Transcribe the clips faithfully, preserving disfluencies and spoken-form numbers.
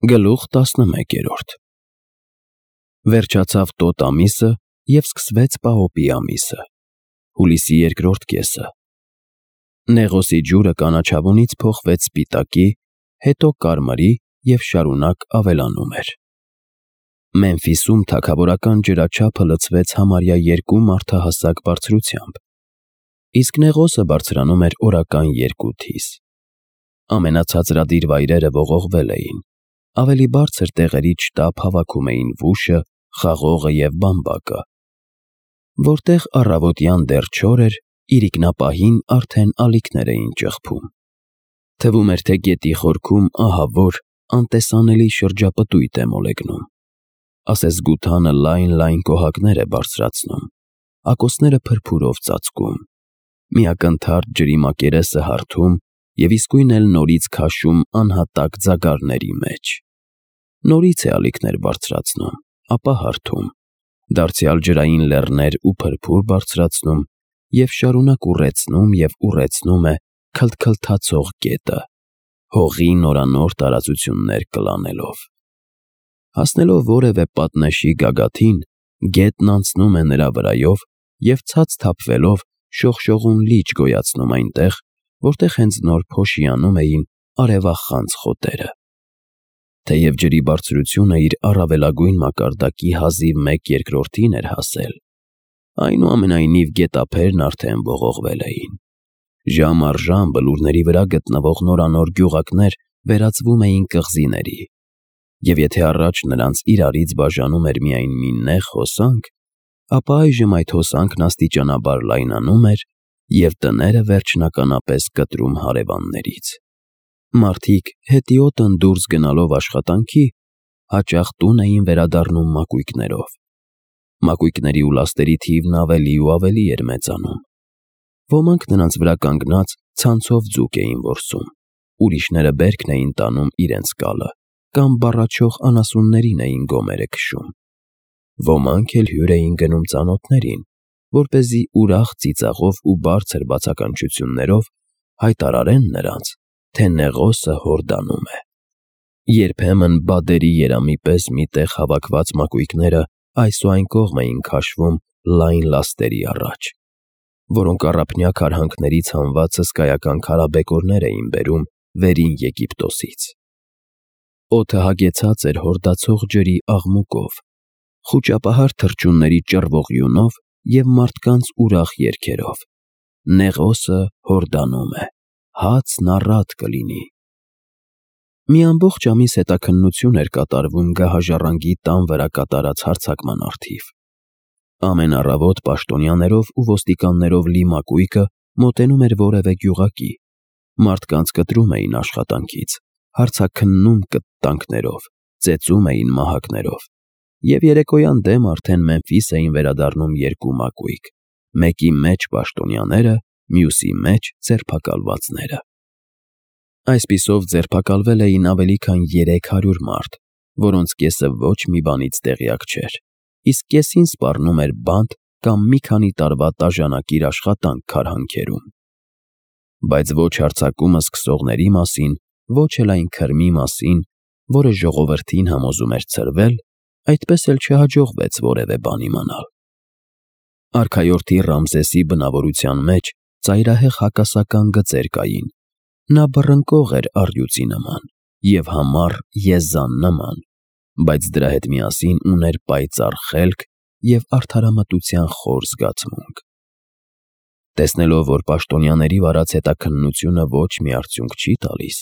Գլուխ տասնմեկերորդ Վերջացավ տոտ ամիսը և սկսվեց պահոպի ամիսը, հուլիսի երկրորդ կեսը։ Նեղոսի ջուրը կանաչավունից փոխվեց սպիտակի, հետո կարմրի և շարունակ ավելանում էր։ Մեմֆիսում թագավորական ջրաչափը լցվեց համարյա երկու մարդահասակ բարձրությամբ, իսկ Նեղոսը բարձրանում էր օրական երկու թիս։ Ամենացածրադիր վայրերը ողողվել էին, ավելի բարձր տեղերից շտապ հավաքում էին վուշը, խաղողը և բամբակը։ Որտեղ առավոտյան դեռ չոր էր, իրիկնապահին արդեն ալիքներ էին ճխփում։ Թվում էր, թե գետի խորքում ահավոր, անտեսանելի շրջապտույտ է մոլեգնում։ Ասեսգութանը լայն-լայն կոհակներ է բարձրացնում, ակոսները փրփուրով ծածկում, միակնթարթ ջրի մակերեսը հարթում և իսկույն էլ նորից քաշում անհատակ ձագարների մեջ։ Նորից է ալիքներ բարձրացնում, ապա հարթում, դարձյալ ջրային լեռներ ու փրփուր բարձրացնում և շարունակ ուռեցնում և ուռեցնում է քլթքլթացող գետը, հողի նորանոր տարածություններ կլանելով։ Հասնելով որևէ պատնեշի գագաթին, գետն անցնում է նրա վրայով և ցած թափվելով շողշողուն լիճ գոյացնում այնտեղ, որտեղ հենց նոր փոշիանում էին արևախանձ խոտերը։ Թեև ջրի բարձրությունը իր առավելագույն մակարդակի հազիվ մեկ երկրորդին էր հասել, այնուամենայնիվ գետափերն արդեն ողողվել էին։ Ժամ առ ժամ բլուրների վրա գտնվող նորանոր գյուղակներ վերածվում էին կղզիների, և եթե առաջ նրանց իրարից բաժանում էր միայն մի նեղ հոսանք, ապա այժմ այդ հոսանքն աստիճանաբար լայնանում էր և տները վերջնականապես կտրում հարևաններից։ Մարդիկ հետիոտն դուրս գնալով աշխատանքի, հաճախ տուն էին վերադառնում մակույկներով։ Մակույկների ու լաստերի թիվն ավելի ու ավելի էր մեծանում։ Ոմանք նրանց վրա կանգնած ցանցով ձուկ էին որսում, ուրիշները բերքն էին տանում իրենց կալը կամ բառաչող անասուններին էին գոմերը քշում։ Ոմանք էլ հյուր էին գնում ծանոթներին, որպեսզի ուրախ ծիծաղով ու բարձր բացականչություններով հայտարարեն նրանց, թե Նեղոսը հորդանում է։ Երբեմն բադերի երամի պես մի տեղ հավաքված մակույկները այս ու այն կողմ էին քաշվում լայն լաստերի առաջ, որոնք առափնյա քարհանքներից հանված հսկայական քարաբեկորներ էին բերում Վերին Եգիպտոսից։ Օդը հագեցած էր հորդացող ջրի աղմուկով, խուճապահար թռչունների ճռվողյունով և մարդկանց ուրախ երգերով. «Նեղոսը հորդանում է, հացն առատ կլինի»։ Մի ամբողջ ամիս հետաքննություն էր կատարվում գահաժառանգի տան վրա կատարած հարձակման առթիվ։ Ամեն առավոտ պաշտոնյաներով ու ոստիկաններով լի մակույկը մոտենում էր որևէ գյուղակի, մարդկանց կտրում էին աշխատանքից, հարցաքննում կտտանքներով, ծեծում էին մահակներով, և երեկոյան դեմ արդեն Մեմֆիս էին վերադառնում երկու մակույկ, մեկի մեջ պաշտոնյաները, մյուսի մեջ ձերբակալվածները։ Այսպիսով ձերբակալվել էին ավելի քան երեք հարյուր մարդ, որոնց կեսը ոչ մի բանից տեղյակ չէր, իսկ կեսին սպառնում էր բանտ կամ մի քանի տարվա տաժանակիր աշխատանք քարհանքերում։ Բայց ոչ հարձակումը սկսողների մասին, ոչ էլ այն քրմի մասին, որը ժողովրդին համոզում էր ցրվել, այդպես էլ չհաջողվեց որևէ բան իմանալ։ Արքայորդի Ռամզեսի բնավորության մեջ ծայրահեղ հակասական գծեր կային։ Նա բռնկող էր առյուծի նման և համառ եզան նման, բայց դրա հետ միասին ուներ պայծառ խելք և արդարամտության խոր զգացմունք։ Տեսնելով, որ պաշտոնյաների վարած հետաքննությունը ոչ մի արդյունք չի տալիս,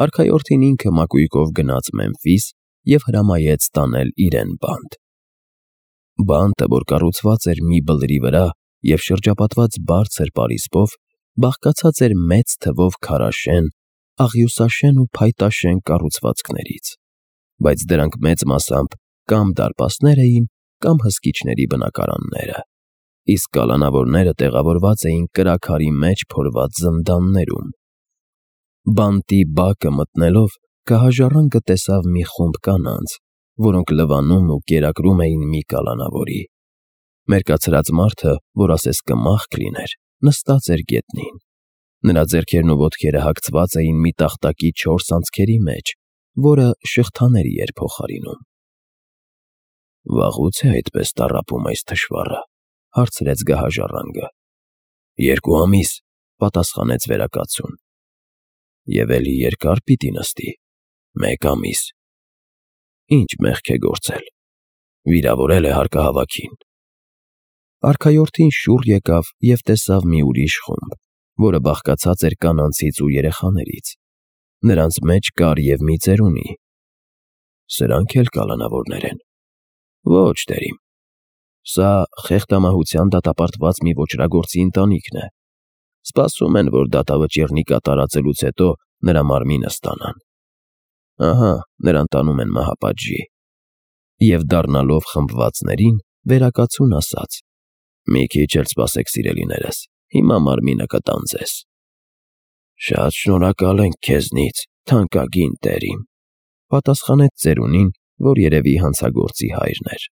արքայորդին ինքը մակույկով գնաց Մեմֆիս և հրամայեց տանել իրեն բանտ։ Բանտը, որ կառուցված էր մի բլրի վրա և շրջապատված բարձր պարիսպով, բաղկացած էր մեծ թվով քարաշեն, աղյուսաշեն ու փայտաշեն կառուցվածքներից, բայց դրանք մեծ մասամբ կամ դարպասներ էին, կամ հսկիչների բնակարանները, իսկ կալանավորները տեղավորված էին կրաքարի մեջ փորված զնդաններում։ Բանտի բակը մտնելով գահաժառանգը տեսավ մի խումբ կանանց, որոնք լվանում ու կերակրում էին մի կալանավորի։ Մերկացրած մարդը, որ ասես կմախք լիներ, նստած էր գետնին։ Նրա ձեռքերն ու ոտքերը հագցված էին մի տախտակի չորս անցքերի մեջ, որը շղթաների էր փոխարինում։ Վաղուց է այդպես տառապում այս թշվառը, հարցրեց գահաժառանգը։ Երկու ամիս, պատասխանեց վերակացուն։ Եվ էլի երկար պիտի նստի։ Մեկ ամիս։ Ինչ մեղք է գործել։ Վիրավորել է հարկահավաքին։ Արքայորդին շուռ եկավ և տեսավ մի ուրիշ խումբ, որը բաղկացած էր կանանցից ու երեխաներից։ Նրանց մեջ կար և մի ծերունի։ Սրանք էլ կալանավորներ են։ Ոչ, տերիմ։ Սա խեղդամահության դատապարտված մի ոճրագործի ընտանիքն է։ Սպասում են, որ դատավճիռնի կատարածելուց հետո նրա մարմինը ստանան։ Ահա, նրան տանում են մահապատժի։ Եվ դառնալով խմբվածներին, վերակացուն ասաց. Մի քիչ էլ սպասեք, սիրելիներս, հիմա մարմինը կտան ձեզ։ Շատ շնորհակալ ենք քեզնից, թանկագին տերիմ, պատասխանեց ծերունին, որ երևի հանցագործի հայրն էր։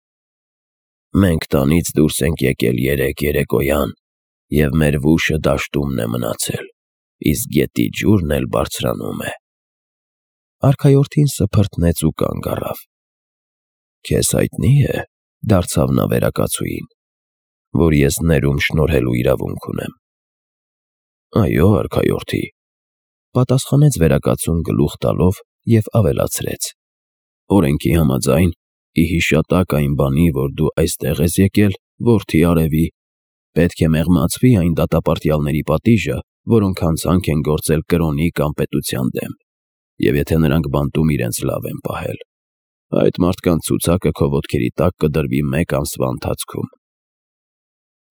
Մենք տանից դուրս ենք եկել երեկ երեկոյան, և մեր վուշը դաշտումն է մնացել, իսկ գետի ջուրն էլ բարձրանում է։ Արքայորդին սփռտնեց ու կանգ առավ։ Քեզ հայտնի է, դարձավ նա վերակացուին, որ ես ներում շնորհելու իրավունք ունեմ։ Այո, արքայորդի, պատասխանեց վերակացուն գլուխ տալով և ավելացրեց. Օրենքի համաձայն, ի հիշատակ այն բանի, որ դու այստեղ ես եկել, որդի արևի, պետք է մեղմացվի այն դատապարտյալների պատիժը, որոնք հանցանք են գործել կրոնի կամ պետության դեմ, և եթե նրանք բանտում իրենց լավ են պահել, այդ մարդկանց ցուցակը քո ոտքերի տակ կդրվի մեկ ամսվա ընթացքում։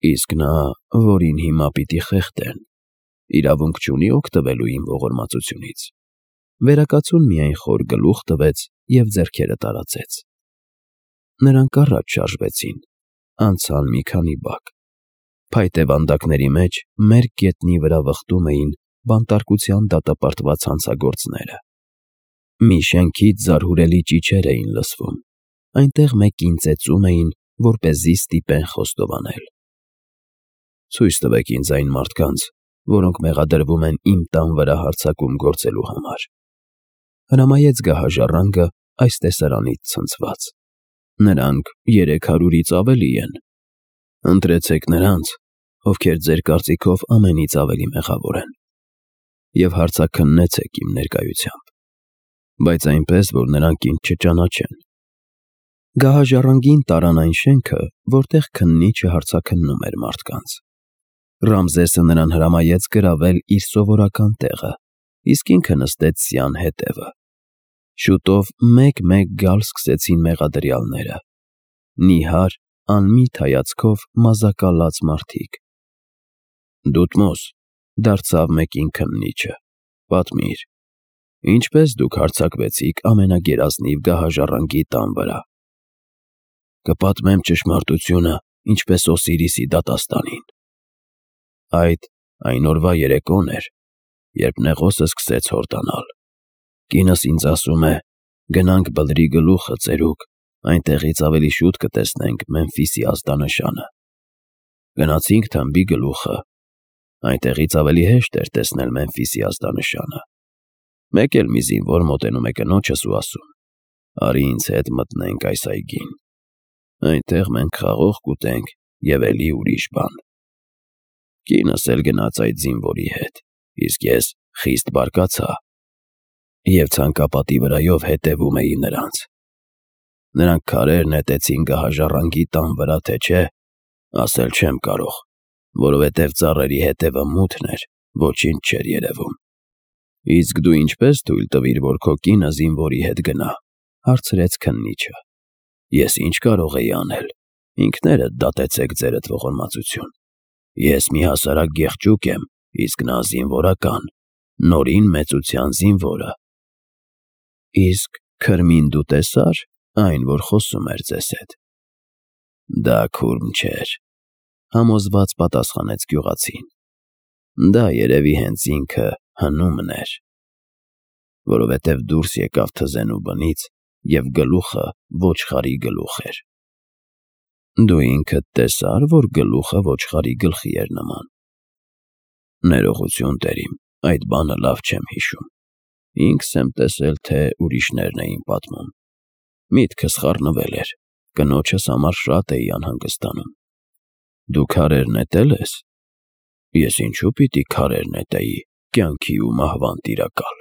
Իսկ նա, որին հիմա պիտի խեղդեն, իրավունք չունի օգտվելու իմ ողորմածությունից։ Վերակացուն միայն խոր գլուխ տվեց և ձեռքերը տարածեց։ Նրանք առաջ շարժվեցին, անցան մի քանի բակ։ Փայտե վանդակների մեջ մերկ գետնի վրա վխտում էին բանտարկության դատապարտված հանցագործները։ Մի շենքից զարհուրելի ճիչեր էին լսվում, այնտեղ մեկին ծեծում էին, որպեսզի ստիպեն խոստովանել։ Ցույց տվեք ինձ այն մարդկանց, որոնք մեղադրվում են իմ տան վրա հարձակում գործելու համար, հրամայեց գահաժառանգը այս տեսարանից ցնցված։ Նրանք երեք հարյուրից ավելի են։ Ընտրեցեք նրանց, ովքեր ձեր կարծիքով ամենից ավելի մեղավոր են, և հարցաքննեցեք իմ ներկայությամբ, բայց այնպես, որ նրանք ինձ չճանաչեն։ Գահաժառանգին տարան այն շենքը, որտեղ քննիչը հարցաքննում էր մարդկանց։ Ռամզեսը նրան հրամայեց գրավել իր սովորական տեղը, իսկ ինքը նստեց սյան հետևը։ Շուտով մեկ-մեկ գալ սկսեցին մեղադրյալները։ Նիհար, անմիտ հայացքով մազակալած մարդիկ։ Դուտմոս, դարձավ մեկին քննիչը, պատմիր, ինչպես դուք հարձակվեցիք ամենագերազնիվ գահաժառանգի տան վրա։ Կպատմեմ ճշմարտությունը, ինչպես Օսիրիսի դատաստանին։ Այդ այն օրվա երեկոն էր, երբ Նեղոսը սկսեց հորդանալ։ Կինս ինձ ասում է. գնանք բլրի գլուխը ծերուկ, այնտեղից ավելի շուտ կտեսնենք Մեմֆիսի ազդանշանը։ Գնացինք թմբի գլուխը, այնտեղից ավելի հեշտ էր տեսնել Մեմֆիսի ազդանշանը։ Մեկ էլ մի զինվոր մոտենում է կնոջս ու ասում. արի ինձ հետ մտնենք այս այգին։ Այնտեղ մենք խաղող կուտենք և էլի ուրիշ բան։ Կինս էլ գնաց այդ զինվորի հետ, իսկ ես խիստ բարկացա և ցանկապատի վրայով հետևում էի նրանց։ Նրանք քարեր նետեցին գահաժառանգի տան վրա, թե չէ, ասել չեմ կարող, որովհետև ծառերի հետևը մութն էր, ոչինչ չէր երևում։ Իսկ դու ինչպես թույլ տվիր, որ քո կինը զինվորի հետ գնա, հարցրեց քննիչը։ Ես ինչ կարող էի անել, ինքներդ դատեցեք ձերդ ողորմածություն։ Ես մի հասարակ գեղջուկ եմ, իսկ նա զինվորական, Նորին մեծության զինվորը։ Իսկ քրմին դու տեսա՞ր, այն, որ խոսում էր ձեզ հետ։ Դա քուրմ չէր, համոզված պատասխանեց գյուղացին։ Դա երևի հենց ինքը Հնումն էր, որովհետև դուրս եկավ թզենու բնից և գլուխը ոչխարի գլուխ էր։ Դու ինքդ տեսա՞ր, որ գլուխը ոչխարի գլխի էր նման։ Ներողություն, տերիմ, այդ բանը լավ չեմ հիշում։ ինքս եմ տեսել, թե ուրիշներն էին պատմում։ Միտքս խառնվել էր, կնոջս համար շատ էի անհանգստանում։ Դու քարեր նետել ես։ Ես ինչու պիտի քարեր նետեի, կյանքի ու մահվան տիրակալ։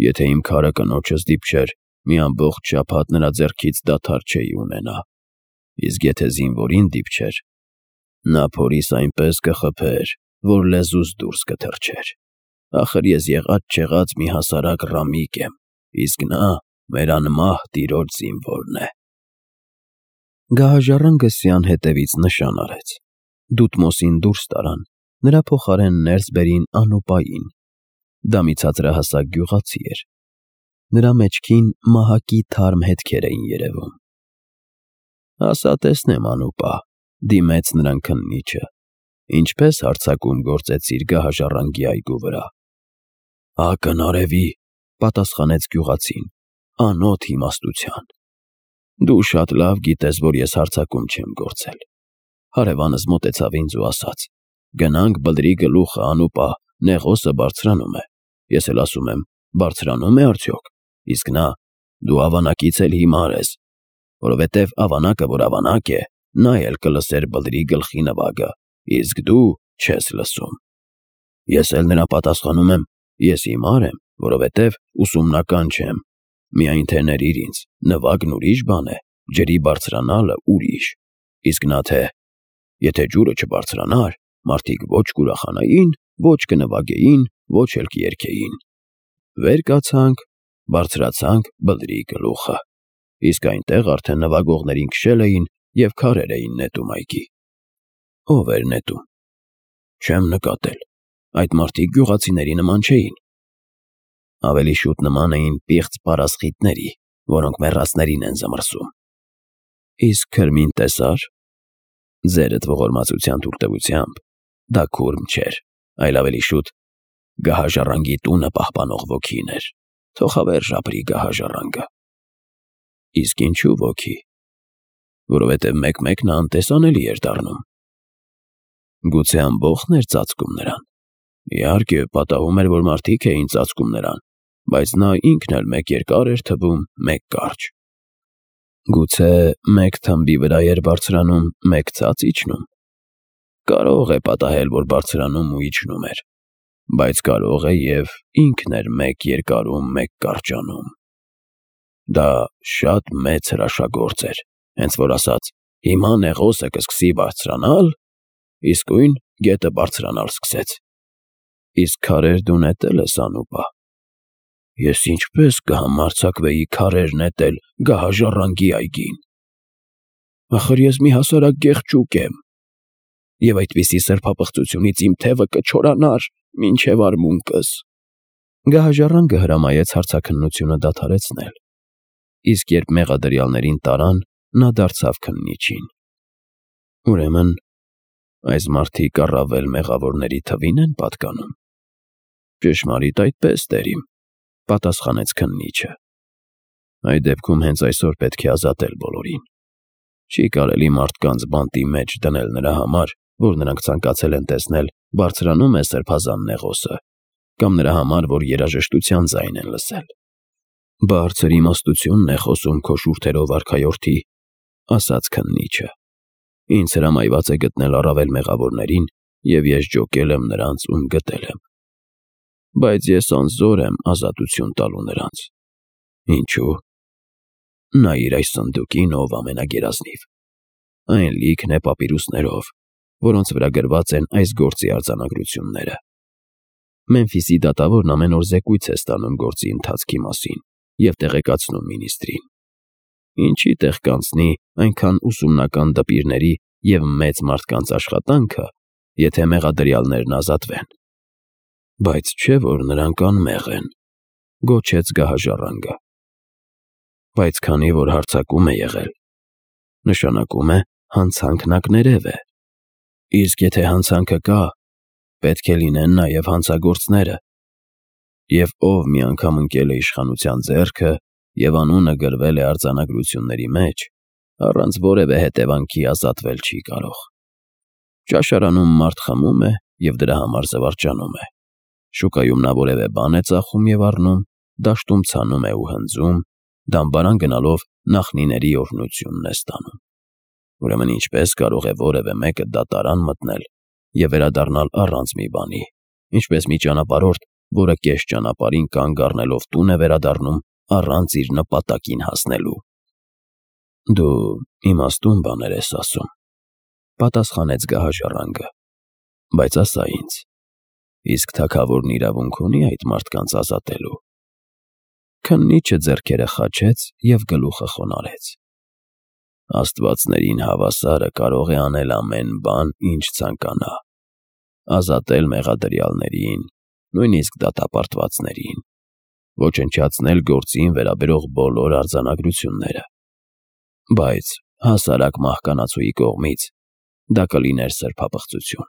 Եթե իմ քարը կնոջս դիպչեր, մի ամբողջ շաբաթ նրա ձեռքից դադար չէի ունենա, իսկ եթե զինվորին դիպչեր, նա փորիս այնպես կխփեր, որ լեզուս դուրս կթռչեր։ Ախր ես եղած-չեղած մի հասարակ ռամիկ եմ, իսկ նա մեր անմահ տիրոջ զինվորն է։ Գահաժառանգը սյան հետևից նշան արեց։ Դուտմոսին դուրս տարան, նրա փոխարեն ներս բերին Անուպային։ Դա մի ցածրահասակ գյուղացի էր։ Նրա մեջքին մահակի թարմ հետքեր էին երևում։ Ասա տեսնեմ, Անուպա, դիմեց նրան քննիչը, ինչպես հարձակում գործեցիր գահաժառանգի այգու վրա։ Ակնարևի, պատասխանեց գյուղացին, անոտ իմաստության։ Դու շատ լավ գիտես, որ ես հարձակում չեմ գործել։ Հարևանս մոտեցավ ինձ ու ասաց. գնանք բլրի գլուխը, Անուպա, նեղոսը բարձրանում է։ Ես էլ ասում եմ, բարձրանում է արդյոք։ Իսկ նա, դու ավանակից էլ հիմար ես, որովհետև ավանակը, որ ավանակ է, նա էլ կլսեր բլրի գլխի նվագը, իսկ դու չես լսում։ Ես էլ նրան պատասխանում եմ, ես հիմար եմ, որովհետև ուսումնական չեմ։ Միայն թե ներիր ինձ, նվագն ուրիշ բան է, ջրի բարձրանալը ուրիշ։ Իսկ նա թե, եթե ջուրը չբարձրանար, մարդիկ ոչ կուրախանային, ոչ կնվագեին, ոչ էլ կերկեին։ Վեր կացանք, բարձրացանք բլրի գլուխը, իսկ այնտեղ արդեն նվագողներին քշել էին և քարեր էին նետում այգի։ Ո՞վ էր նետում։ Չեմ նկատել, այդ մարդիկ գյուղացիների նման չէին։ Ավելի շուտ նման էին պիղծ պարասխիթների, որոնք մեռածներին են զմռսում։ Իսկ քրմին տեսա՞ր։ Ձերդ ողորմածության թույլտվությամբ դա քուրմ չէր, այլ ավելի շուտ գահաժառանգի տունը պահպանող ոգին էր, թոխավեր ապրի գահաժառանգը։ Իսկ ինչու ոգի։ Որովհետև մեկ-մեկ նա անտեսանելի էր դառնում։ Գուցե ամբոխն էր ծածկում նրան։ Իհարկե, պատահում էր, որ մարդիկ էին ծածկում նրան, բայց նա ինքն էլ մեկ երկար էր թվում, մեկ կարճ։ Գուցե մեկ թմբի վրա էր բարձրանում, մեկ ցած իջնում։ Կարող է պատահել, որ բարձրանում ու իջնում էր, բայց կարող է և ինքն էր մեկ երկարում, մեկ կարճանում։ Դա շատ մեծ հրաշագործ էր, հենց որ ասաց. հիմա նեղոսը կսկսի բարձրանալ, իսկույն գետը բարձրանալ սկսեց։ Իսկ քարեր դու նետել ես, Անուպա։ Ես ինչպես կհամարձակվեի քարեր նետել գահաժառանգի այգին։ Ախր ես մի հասարակ գեղջուկ եմ, և այդպիսի սրբապղծությունից իմ թևը կչորանար մինչև արմունկս։ Գահաժառանգը հրամայեց հարցաքննությունը դադարեցնել, իսկ երբ մեղադրյալներին տարան, նա դարձավ քննիչին։ Ուրեմն, այս մարդիկ առավել մեղավորների թվին են պատկանում։ Ճշմարիտ այդպես, տերիմ, պատասխանեց քննիչը։ Այդ դեպքում հենց այսօր պետք է ազատել բոլորին։ Չի կարելի մարդկանց բանտի մեջ դնել նրա համար, որ նրանք ցանկացել են տեսնել բարձրանում է սրբազան նեղոսը, կամ նրա համար, որ երաժշտության ձայն են լսել։ Բարձր իմաստությունն է խոսում քո շուրթերով, արքայորդի, ասաց քննիչը։ Ինձ հրամայված է գտնել առավել մեղավորներին, և ես ջոկել եմ նրանց, ում գտել եմ։ Բայց ես անզոր եմ ազատություն տալու նրանց։ Ինչու։ Նայիր այս սնդուկին, ով ամենագերազնիվ։ Այն լիքն է պապիրուսներով, որոնց վրա գրված են այս գործի արձանագրությունները։ Մեմֆիսի դատավորն ամեն օր զեկույց է ստանում գործի ընթացքի մասին և տեղեկացնում մինիստրին։ Ինչի տեղ կանցնի այնքան ուսումնական դպիրների և մեծ մարդկանց աշխատանքը, եթե մեղադրյալներն ազատվեն։ Բայց չէ՞ որ նրանք անմեղ են, գոչեց գահաժառանգը։ Բայց քանի որ հարձակում է եղել, նշանակում է հանցանքն ակներև է։ Իսկ եթե հանցանքը կա, պետք է լինեն նաև հանցագործները։ Եվ ով մի անգամ ընկել է իշխանության ձեռքը և անունը գրվել է արձանագրությունների մեջ, առանց որևէ հետևանքի ազատվել չի կարող։ Ճաշարանում մարդ խմում է և դրա համար զվարճանում է։ Շուկայում նա որևէ բան է ծախում և առնում, դաշտում ցանում է ու հնձում, դամբարան գնալով նախնիների օրհնությունն է ստանում։ Ուրեմն ինչպե՞ս կարող է որևէ մեկը դատարան մտնել և վերադառնալ առանց մի բանի, ինչպես մի ճանապարհորդ, որը կես ճանապարհին կանգ առնելով տուն է վերադառնում առանց իր նպատակին հասնելու։ Դու իմաստուն բաներ ես ասում, պատասխանեց գահաժառանգը, բայց ասա ինձ, իսկ թագավորն իրավունք ունի՞ այդ մարդկանց ազատելու։ Քննիչը ձեռքերը խաչեց և գլուխը խոնարհեց։ Աստվածներին հավասարը կարող է անել ամեն բան, ինչ ցանկանա, ազատել մեղադրյալներին, նույնիսկ դատապարտվածներին, ոչնչացնել գործին վերաբերող բոլոր արձանագրությունները, բայց հասարակ մահկանացուի կողմից դա կլիներ սրբապղծություն։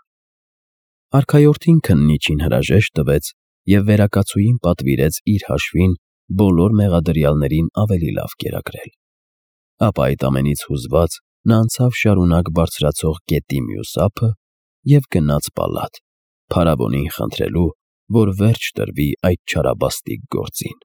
Արքայորդին քննիչին հրաժեշտ տվեց և վերակացուին պատվիրեց իր հաշվին բոլոր մեղադրյալներին ավելի լավ կերակրել։ Ապա այդ ամենից հուզված նա անցավ շարունակ բարձրացող գետի մյուս ափը և գնաց պալատ, փարավոնին խնդրելու, որ վերջ տրվի այդ չարաբաստիկ գործին։